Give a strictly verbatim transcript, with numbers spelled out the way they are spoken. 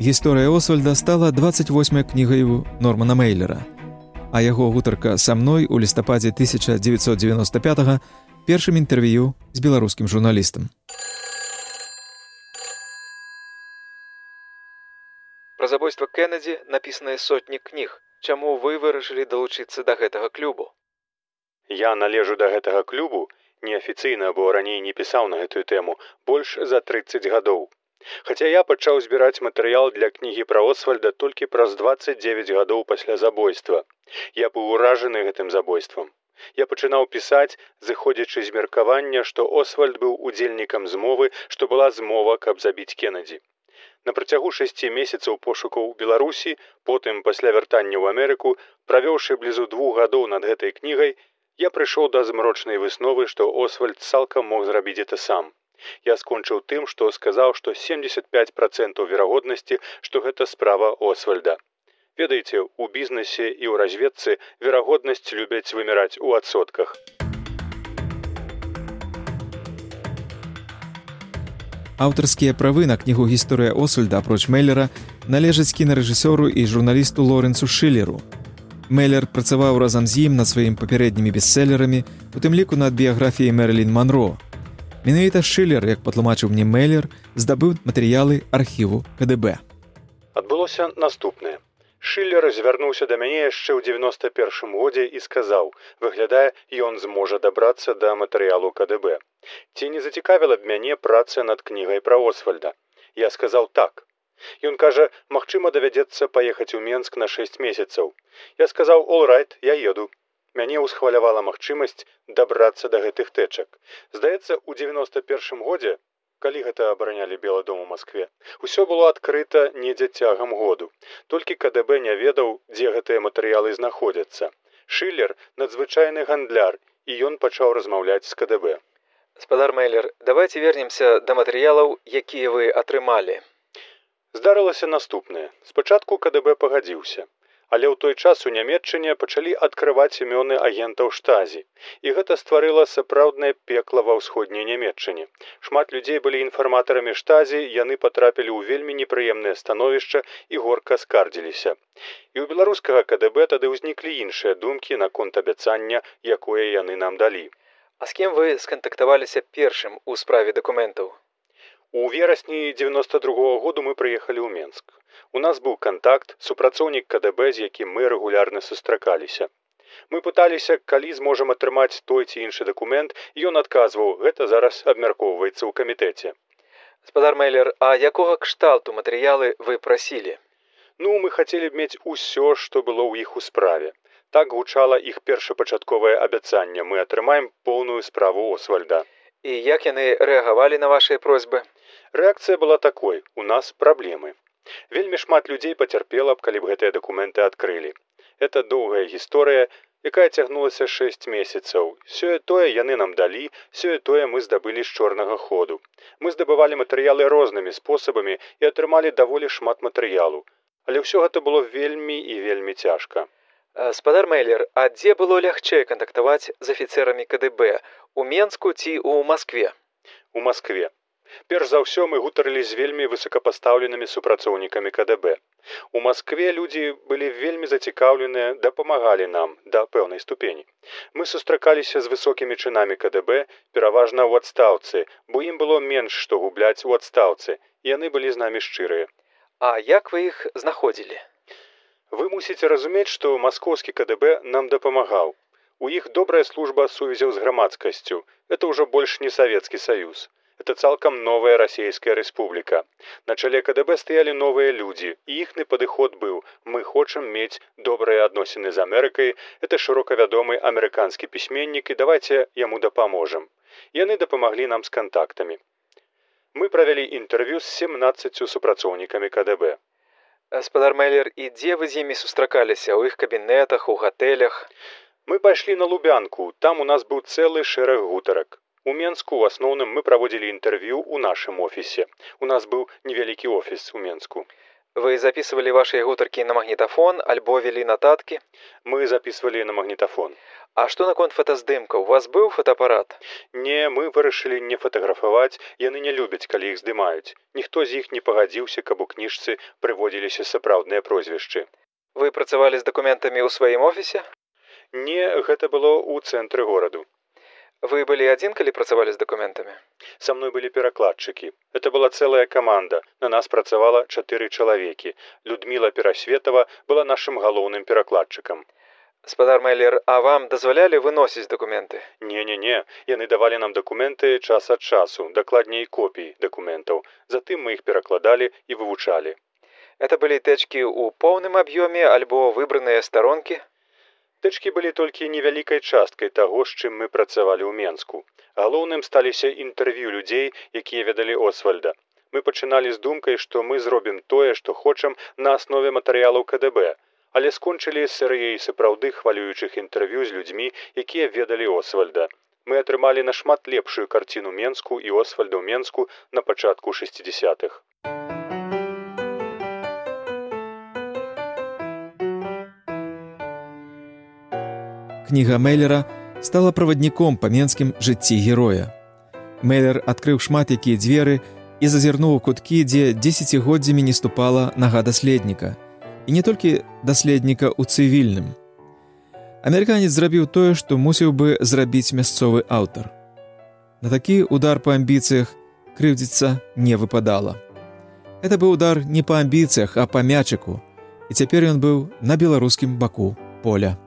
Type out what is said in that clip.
Гісторыя Освальда стала дваццаць восьмай кнігаю Нормана Мейлера, а яго гутарка са мной у лістападзе тысяча дзевяцьсот дзевяноста пятага першым інтэрв'ю з беларускім журналістам. Пра забойства Кеннеді напісаныя сотні кніг. Чаму вы вырашылі далучыцца да гэтага клубу? Я належу да гэтага клубу неафіцыйна, бо раней не пісаў на гэтую тэму, больш за трыццаць гадоў. Хаця я пачаў збіраць матэрыял для кнігі пра Освальда толькі праз дваццаць дзевяць гадоў пасля забойства. Я быў уражаны гэтым забойствам. Я пачынаў пісаць, зыходзячы з меркавання, што Освальд быў удзельнікам змовы, што была змова, каб забіць Кеннеді. На працягу шасці месяцаў пошукаў у Беларусі, потым пасля вяртання ў Амерыку, правёўшы блізу двух гадоў над гэтай кнігай, я прыйшоў да змрочнай высновы, што Освальд цалкам мог зрабіць гэта сам. Я скончыў тым, што сказаў, што семдзесят пяць працэнтаў верагоднасці, што гэта справа Освальда. Ведаеце, у бізнесе і ў разведцы верагоднасць любяць вымяраць у адсотках. Аўтарскія правы на кнігу «Гісторыя Освальда» апроч Мейлера належаць кінарэжысёру і журналісту Лорэнсу Шылеру. Мейлер працаваў разам з ім над сваімі папярэднімі бестселерамі, у тым ліку над біяграфіяй Мэрылін Манро. Менавіта Шылер, як патлумачыў мне Мейлер, здабыў матэрыялы архіву ка дэ бэ. Адбылося наступнае. Шылер звярнуўся да мяне яшчэ ў дзевяноста першым годзе і сказаў, выглядае, ён зможа дабрацца да матэрыялу ка дэ бэ. Ці не зацікавіла б мяне праца над кнігай пра Освальда? Я сказаў так. Ён кажа, магчыма, давядзецца паехаць у Менск на шэсць месяцаў. Я сказаў, all right, я еду. Мяне ўсхвалявала магчымасць дабрацца да гэтых тэчак. Здаецца, у дзевяноста першым годзе, калі гэта абаранялі Белы дом у Маскве, усё было адкрыта недзе цягам году. Толькі ка дэ бэ не ведаў, дзе гэтыя матэрыялы знаходзяцца. Шылер – надзвычайны гандляр, і ён пачаў размаўляць з ка дэ бэ. Спадар Мейлер, давайте вернемся да матэрыялаў, якія вы атрымалі. Здарылася наступнае. Спачатку ка дэ бэ пагадзіўся. Але ў той час у Нямецчыне пачалі адкрываць імёны агентаў штазі. І гэта стварыла сапраўднае пекла ва ўсходняй Нямецчыне. Шмат людзей былі інфарматарамі штазі, яны патрапілі ў вельмі непрыемнае становішча і горка скардзіліся. І ў беларускага ка дэ бэ тады ўзніклі іншыя думкі наконт абяцання, якое яны нам далі. А з кім вы скантактаваліся першым у справе дакументаў? У верасні дзевяноста другога году мы прыехалі ў Менск. У нас быў кантакт, супрацоўнік ка дэ бэ, з якім мы рэгулярна сустракаліся. Мы пыталіся, калі зможам атрымаць той ці іншы дакумент, і ён адказваў, гэта зараз абмяркоўваецца ў камітэце. Спадар Мейлер, а якога кшталту матэрыялы вы прасілі? Ну, мы хацелі б мець усё, што было ў іх у справе. Так гучала іх першапачатковае абяцанне. Мы атрымаем поўную справу Освальда. І як яны рэагавалі на вашыя просьбы? Рэакцыя была такой. У нас праблемы. Вельмі шмат людзей пацярпела б, калі б гэтыя дакументы адкрылі. Это доўгая гісторыя, якая цягнулася шэсць месяцаў. Сёе-тое яны нам далі, сёе-тое мы здабылі з чорнага ходу. Мы здабывалі матэрыялы рознымі спосабамі і атрымалі даволі шмат матэрыялу. Але ўсё гэта было вельмі і вельмі цяжка. Спадар Мейлер, а дзе было лягчэй кантактаваць з афіцэрамі ка дэ бэ? У Менску ці ў Маскве? У Маскве. Перш за ўсё мы гутарылі з вельмі высокапастаўленымі супрацоўнікамі ка дэ бэ. У Маскве людзі былі вельмі зацікаўленыя, дапамагалі нам да пэўнай ступені. Мы сустракаліся з высокімі чынамі ка дэ бэ, пераважна ў адстаўцы, бо ім было менш што губляць у адстаўцы, і яны былі з намі шчырыя. А як вы іх знаходзілі? Вы мусіце разумець, што маскоўскі ка дэ бэ нам дапамагаў. У іх добрая служба сувязяў з грамадскасцю. Это ўжо больш не Савецкі Саюз. Это цалкам новая расійская рэспубліка. На чале ка дэ бэ стаялі новыя людзі, і іхны падыход быў: мы хочам мець добрыя адносіны з Амерыкай, это шырока вядомы амерыканскі пісьменнік, і давайце яму дапаможам. Яны дапамаглі нам з кантактамі. Мы правялі інтэрв'ю з семнаццаццю супрацоўнікамі ка дэ бэ. Спадар Мейлер, і дзе вы з імі сустракаліся? У іх кабінетах, у гатэлях? Мы пайшлі на Лубянку, там у нас быў цэлы шэраг гутарак. У Менску ў асноўным мы праводзілі інтэрв'ю ў нашым офісе. У нас быў невялікі офіс у Менску. Вы записывалі вашыя гутаркі на магнітафон альбо вялі нататкі? Мы записывалі на магнітафон. А што наконт фотаздымка? У вас быў фотоапарат? Не, мы вырашылі не фатаграфаваць, яны не любяць, калі іх здымаюць. Ніхто з іх не пагадзіўся, каб у кніжцы прыводзіліся сапраўдныя прозвішчы. Вы працавалі з дакументамі ў сваім офісе? Не, гэта было ў цэнтры гораду. Вы былі адзін, калі працавалі з дакументамі? Са мной былі перакладчыкі. Это была цэлая каманда. На нас працавала чатыры чалавекі. Людміла Перасветова была нашым галоўным перакладчыкам. Спадар Мейлер, а вам дазвалялі выносіць дакументы? Не-не-не, яны давалі нам дакументы час ад часу, дакладней копіі дакументаў. Затым мы іх перакладалі і вывучалі. Это былі тэчкі ў поўным аб'ёме альбо выбраныя старонкі? Тэчкі былі толькі невялікай часткай таго, з чым мы працавалі ў Менску. Галоўным сталіся інтэрв'ю людзей, якія ведалі Освальда. Мы пачыналі з думкай, што мы зробім тое, што хочам на аснове матэрыялаў ка дэ бэ, але скончылі з серыяй сапраўды хвалюючых інтэрв'ю з людзьмі, якія ведалі Освальда. Мы атрымалі нашмат лепшую карціну Менску і Освальда ў Менску на пачатку шэсцідзесятых. Кніга Мейлера стала правадніком па менскім жыцці героя. Мейлер адкрыў шмат якія дзверы і зазірнуў у куткі, дзе дзесяцігоддзямі не ступала нага даследніка. І не толькі даследніка ў цывільным. Амерыканец зрабіў тое, што мусіў бы зрабіць мясцовы аўтар. На такі удар па амбіцыях крыўдзіцца не выпадала. Гэта быў удар не па амбіцыях, а па мячыку, і цяпер ён быў на беларускім баку поля.